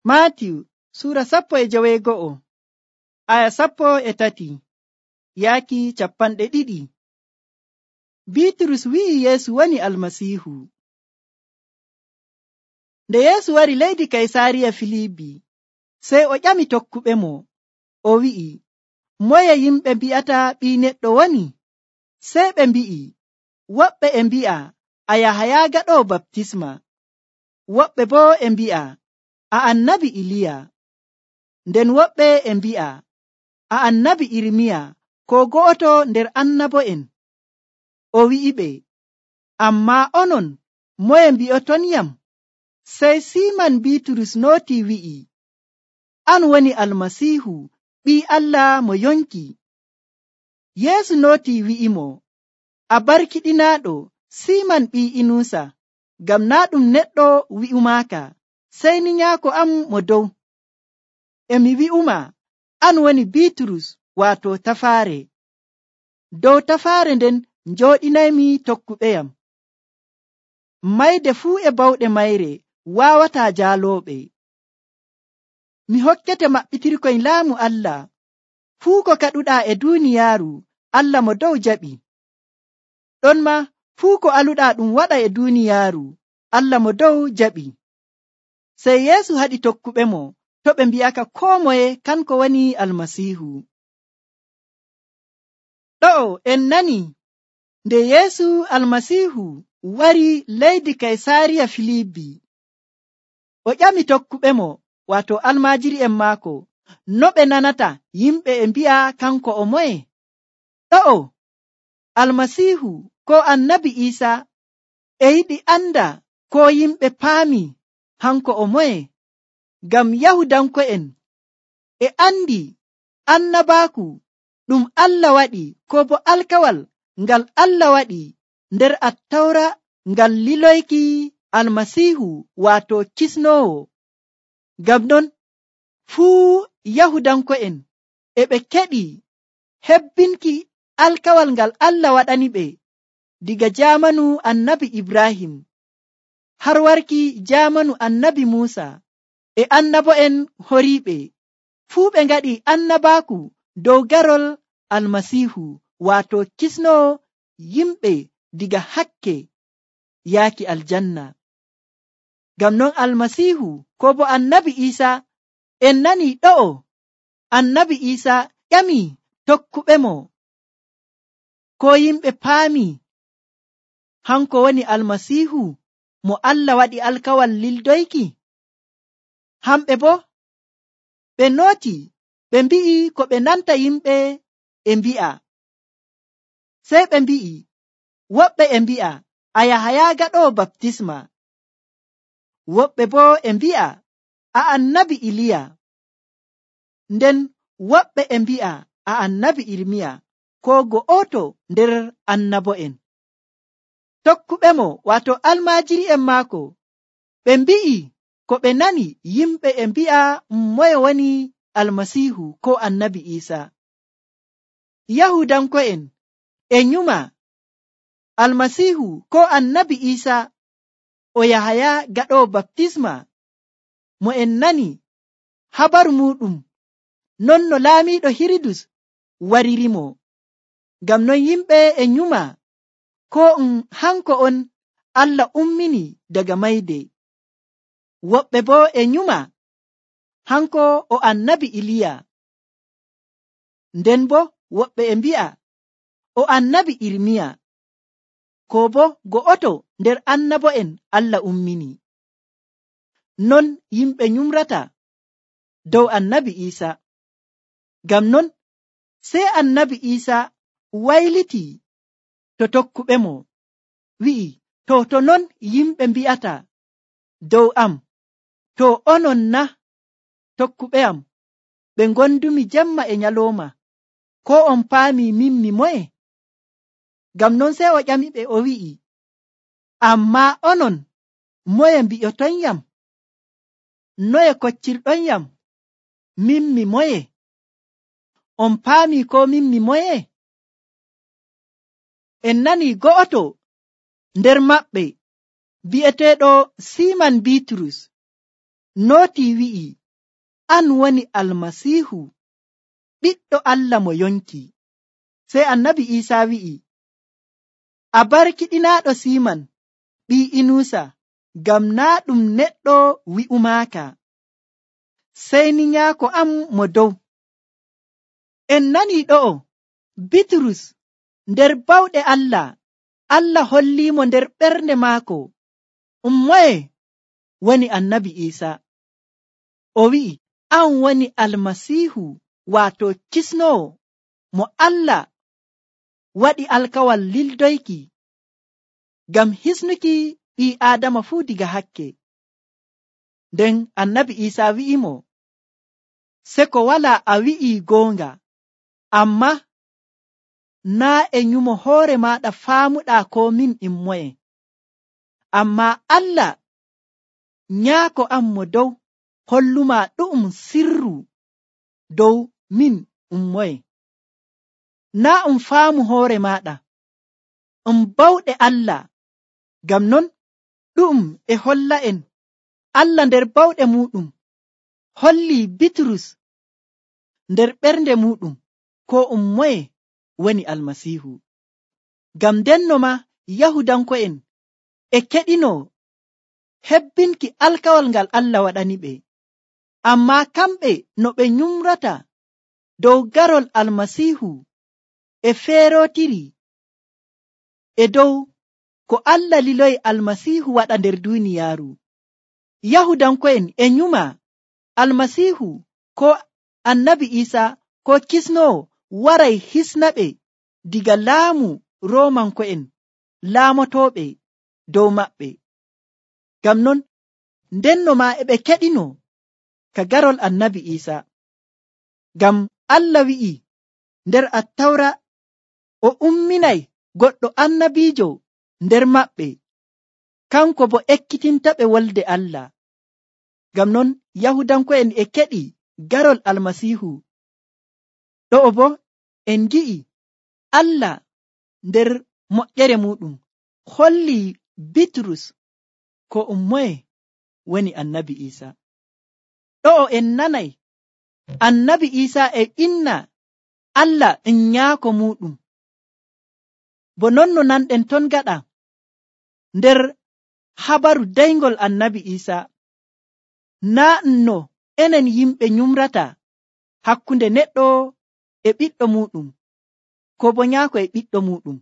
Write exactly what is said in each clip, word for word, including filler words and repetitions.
Maatiyu Suura sappo e joweego'o aya sappo e tati yaaki capanɗe ɗiɗi. Biiturus wi'i Yeesu woni Almasiihu. Nde Yeesu wari leydi Kaysaariya Filiibi, sey o ƴami tokkuɓemo, o wi'i, moye yimɓe mbi'ata Ɓii Neɗɗo woni? Sey ɓe mbi'i, woɓɓe e mbi'a a Yahaya gaɗoowo baptisma, woɓɓe boo e mbi'a a annabi Iliya, nden woɓɓe e mbi'a a annabi Irmiya koo go'oto nder annabo'en. O wi'iɓe, ammaa onon moye mbi'otonyam? Sey Siiman Biiturus nootii wi'i, an woni Almasiihu, Ɓii Allah mo yonki. Yeesu nootii wi'imo, a barkiɗinaaɗo Siiman ɓii Inuusa, ngam naa' ɗum neɗɗo wi'umaaka, sey ni Nyaako am mo dow. E mi wi'uma, an woni Biiturus, waato tafaare. Dow tafaare nden njooɗinaymi tokkuɓeyam. Mayde fuu e bawɗe mayre waawataa jaalooɓe. Mi hokkete maɓɓitirkoy laamu Allah. Fuu ko kaɗuɗaa e duuniyaaru, Allah mo dow jaɓi. Ɗonmaa fuu ko aluɗaa ɗum waɗa e duuniyaaru, Allah mo dow jaɓi. Sey Yeesu haɗi tokkuɓemo to ɓe mbi'aka koo moye kanko woni Almasiihu. Ɗo'o en nani nde Yeesu Almasiihu wari leydi Kaysaariya Filiibi, o ƴami tokkuɓemo waato almaajiri'en maako no ɓe nanata yimɓe e mbi'a kanko o moye. Ɗo'o Almasiihu ko Annabi Iisa e yiɗi anda ko yimɓe paami hanko o moye, ngam Yahudanko'en e andi annabaaku ɗum Allah waɗi ko bo alkawal ngal Allah waɗi nder Attawra ngal liloyki Almasiihu waato kisnoowo. Ngam non fuu Yahudanko'en e ɓe keɗi hebbinki alkawal ngal Allah waɗani ɓe diga jaamanu Annabi Ibrahim har warki jaamanu Annabi Muusa e annabo'en horiiɓe. Fuu ɓe ngaɗi annabaaku dow garol Almasiihu waato kisnoowo yimɓe diga hakke yaaki aljanna. Ngam non Almasiihu ko bo Annabi Iisa en nani ɗo'o Annabi Iisa ƴami tokkuɓemo ko yimɓe paami hanko woni Almasiihu mo Allah waɗi alkawal lildoyki. Hamɓe bo ɓe nooti ɓe mbi'i ko ɓe nanta yimɓe e mbi'a. Sey ɓe mbi'i woɓɓe e mbi'a a Yahaya gaɗoowo baptisma, woɓɓe boo e mbi'a a annabi Iliya, nden woɓɓe e mbi'a a annabi Irmiya koo go'oto nder annabo'en. Tokkuɓemo waato almaajiri'en maako ɓe mbi'i ko ɓe nani yimɓe e mbi'a moye woni Almasiihu ko Annabi Iisa. Yahudanko'en e nyuma Almasiihu ko Annabi Iisa o Yahaya gaɗoowo baptisma mo en nani habaru muɗum non no laamiiɗo Hiridus waririmo. Ngam non yimɓe e nyuma ko um hanko on Allah ummini daga mayde. Woɓɓe boo e nyuma hanko o Annabi Iliya, nden bo woɓɓe e mbi'a o Annabi Irmiya ko bo go'oto nder annabo'en Allah ummini. Non yimɓe nyumrata dow Annabi Iisa. Ngam non sey Annabi Iisa wayliti to tokkuɓemo wi'i, to to non yimɓe mbi'ata dow am, to onon na tokkuɓe am ɓe ngondumi jemma e nyalooma, ko on paami min mi moye? Ngam non sey o ƴamiɓe o wi'i, ammaa onon moye mbi'otonyam? Noye koccirɗonyam? Min mi moye? On paami ko min mi moye? En nani go'oto nder maɓɓe bi'eteeɗo Siiman Biiturus nootii wi'i, an woni almasiihu ɓiɗɗo Allah mo yonki. Sey annabi Iisaa wi'i, a barkiɗinaaɗo Siiman ɓii Inuusa, ngam naa ɗum neɗɗo wi'umaaka, sey ni nyaako am mo dow. En nanii ɗo'o Bitrus nder bawɗe Allah, Allah holliimo nder ɓernde maako um moye woni annabi Iisaa. O wi'i, an woni almasiihu, waato kisnoowo mo Allah waɗi alkawal lildoyki ngam hisnuki ɓii Aadama fuu diga hakke. Nden annabi Iisaa wi'imo, seko walaa a wi'ii goonga, ammaa naa e nyumo hoore maaɗa faamuɗaa ko min in moye. Ammaa Allah nyaako am mo dow hollumaa ɗu'um sirru dow min um moye. Naa um faamu hoore maaɗa, um bawɗe Allah. Ngam non ɗu'um e holla en Allah nder bawɗe muuɗum hollii Bitrus nder ɓernde muuɗum ko um moye woni almasiihu. Ngam ndenno maa Yahudanko'en e keɗino hebbinki alkawal ngal Allah waɗaniɓe, ammaa kamɓe no ɓe nyumrata dow garol almasiihu e feerotiri e dow ko Allah liloyi almasiihu waɗa nder duuniyaaru. Yahudanko'en e nyuma almasiihu ko annabi Iisaa ko kisnoowo waray hisnaɓe diga laamu Roomanko'en laamotooɓe dow maɓɓe. Ngam non ndenno maa e ɓe keɗino ka garol annabi Iisaa. Ngam Allah wi'i nder Attawra o umminay goɗɗo annabiijo nder maɓɓe, kanko bo ekkitintaɓe wolde Allah. Ngam non Yahudanko'en e keɗi garol almasiihu. Ɗo'o bo en gi'i Allah nder moƴƴere muɗum holli Bitrus ko um moye woni annabi Iisaa. Ɗo'o en nanay annabi Iisaa e inna Allah en nyaako muɗum. Bo non no nanɗen ton gaɗa nder habaru daygol annabi Iisaa, naa no enen yimɓe nyumrata hakkunde neɗɗo e ɓiɗɗo muɗum, ko bo nyaako e ɓiɗɗo muɗum.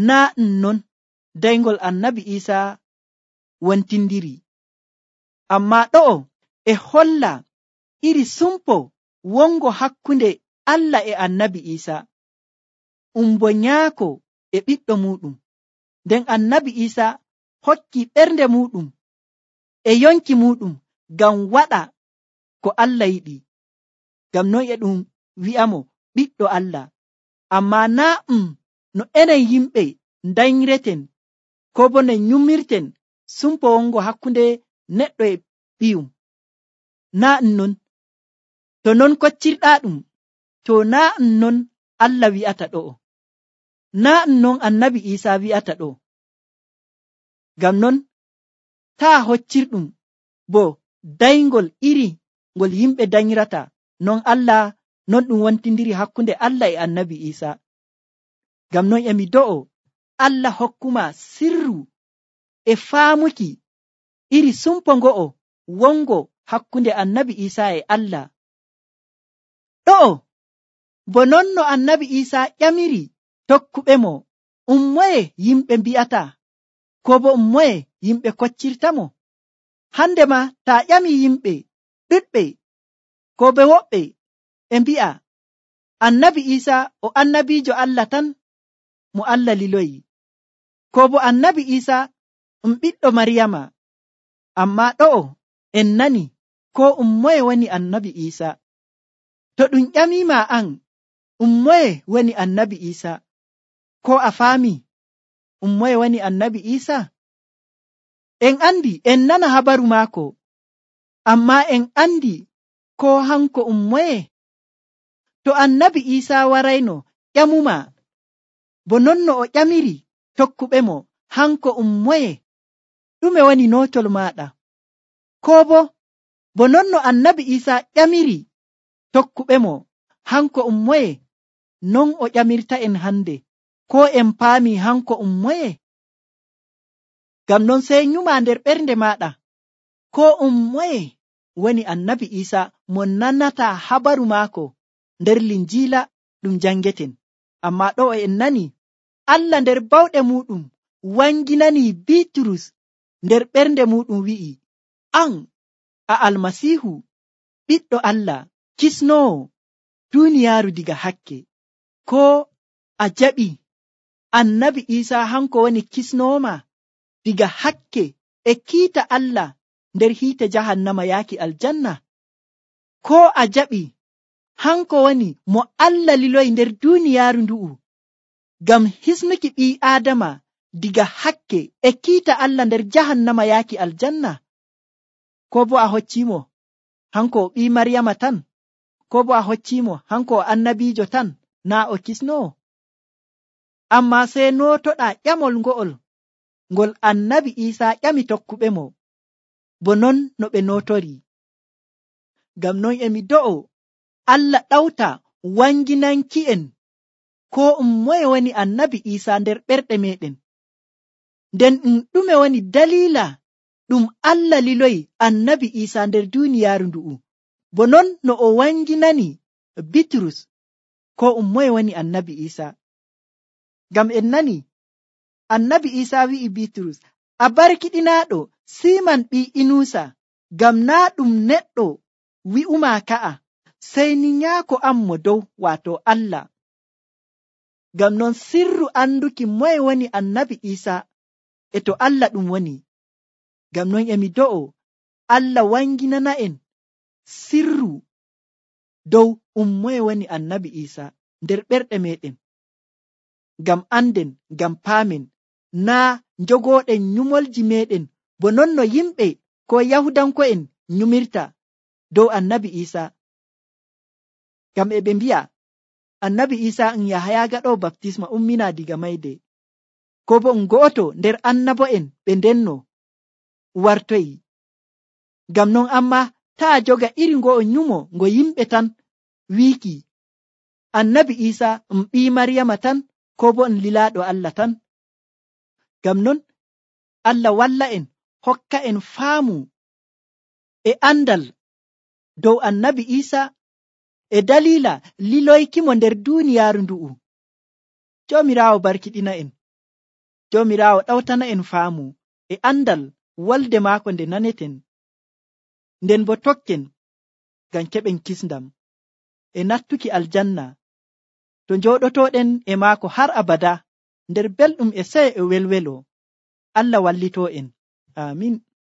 Naa non daygol annabi Iisaa wontindiri. Ammaa ɗo'o e holla iri sumpo wongo hakkunde Allah e annabi Iisaa, um bo nyaako e ɓiɗɗo muɗum. Nden annabi Iisaa hokki ɓernde muɗum e yonki muɗum ngam waɗa ko Allah yiɗi. Ngam non e ɗum wi'amo ɓiɗɗo Allah. Ammaa naa um no enen yimɓe daynreten ko bo no nyumirten sumpo wongo hakkunde neɗɗo e ɓiyum. Naa non. To non koccirɗaa ɗum, to naa non Allah wi'ata ɗo'o. Naa non annabi Iisaa wi'ata ɗo. Ngam non taa hoccirɗum bo daygol iri ngol yimɓe danyrata, non Allah non ɗum wontindiri hakkunde Allah e annabi Iisaa. Ngam non emi do'o Allah hokkuma sirru e faamuki iri sumpo ngo'o wongo hakkunde annabi Iisaa e Allah. Ɗo'o bo non no annabi Iisaa ƴamiri tokkuɓe mo, um moye yimɓe mbi'ata, ko bo um moye yimɓe koccirtamo. Hande ma taa ƴami yimɓe ɗuɗɓe ko be woɓɓe e mbi'a annabi Iisaa o annabiijo Allah tan mo Allah liloyi, ko bo annabi Iisaa um ɓiɗɗo Maryama. Ammaa ɗo'o en nani ko um moye woni annabi Iisaa. To ɗum ƴamima an um moye woni annabi Iisaa, ko a faami um moye woni annabi Iisaa? En andi en nana habaru maako, ammaa en andi ko hanko um moye. To annabi Iisaa warayno ƴamuma bo non no o ƴamiri tokkuɓe mo, hanko um moye, ɗume woni nootol maɗa? Ko bo bo non no annabi Isa ƴamiri tokkuɓe mo hanko um moye, non o ƴamirta en hande, ko en paami hanko um moye? Ngam non sey nyuma nder ɓernde maɗa, ko um moye woni annabi Isa mo nanata habaru maako nder linjiila ɗum jangeten. Amma ɗo en nani Allah nder bawɗe muɗum wanginani Bitrus nder ɓernde muɗum wi'i, an a almasiihu ɓiɗɗo Allah kisnowo duniyaaru diga hakke. Ko a jaɓi annabi Isa hanko woni kisnowoma diga hakke e kiita Allah nder hiite jahannama yaaki aljanna? Ko a jaɓi hanko woni mo Allah liloyi nder duniyaaru ndu'u ngam hisnuki ɓii Aadama diga hakke e kiita Allah nder jahannama yaaki aljanna? Ko bo a hoccimo hanko o ɓii Maryama tan? Ko bo a hoccimo hanko o annabiijo tan, naa o kisnowo? Amma sey nootoɗa ƴamol ngo'ol ngol annabi Isa ƴami tokkuɓe mo, bo non no ɓe nootori. Ngam non emi do'o Allah ɗawta wanginanki'en ko um moye woni annabi Isa nder ɓerɗe meɗen. Nden ɗum ɗume woni dalila ɗum Allah liloyi annabi Isa nder duniyaaru ndu'u, bo non no o wanginani Bitrus ko um moye woni annabi Isa. Ngam en nani annabi Isa wi'i Bitrus, a barkiɗinaaɗo Siman ɓii Inusa, ngam naa ɗum neɗɗo wi'uma ka'a, sey ni nyaako am mo dow, waato Allah. Ngam non sirru anduki moye woni annabi Isa e to Allah ɗum woni. Ngam non emi do'o Allah wanginana en sirru dow um moye woni annabi Isa nder ɓerɗe meɗen, ngam anden, ngam paamen, naa njogoɗen nyumolji meɗen bo non no yimɓe ko Yahudanko'en nyumirta dow annabi Isa. Ngam e ɓe mbi'a annabi Isa en Yahaya gaɗo baptisma ummina diga mayde, ko bo en go'oto nder annabo'en ɓe ndenno wartoyi. Ngam non amma taa joga iri ngo'o nyumo ngo yimɓe tan wiiki annabi Isa en ɓii Maryama tan, ko bo en lilaaɗo Allah tan. Ngam non Allah walla en, hokka en faamu e andal dow annabi Isa e dalila liloykimo nder duniyaaru ndu'u. Joomiraawo barkiɗina en, Joomiraawo ɗawtana en faamu e andal wolde maako nde naneten, nden bo tokken ngam keɓen kisndam e nattuki aljanna to njooɗotoɗen e maako har abada nder belɗum e sey e welwelo. Allah wallito en. Amin.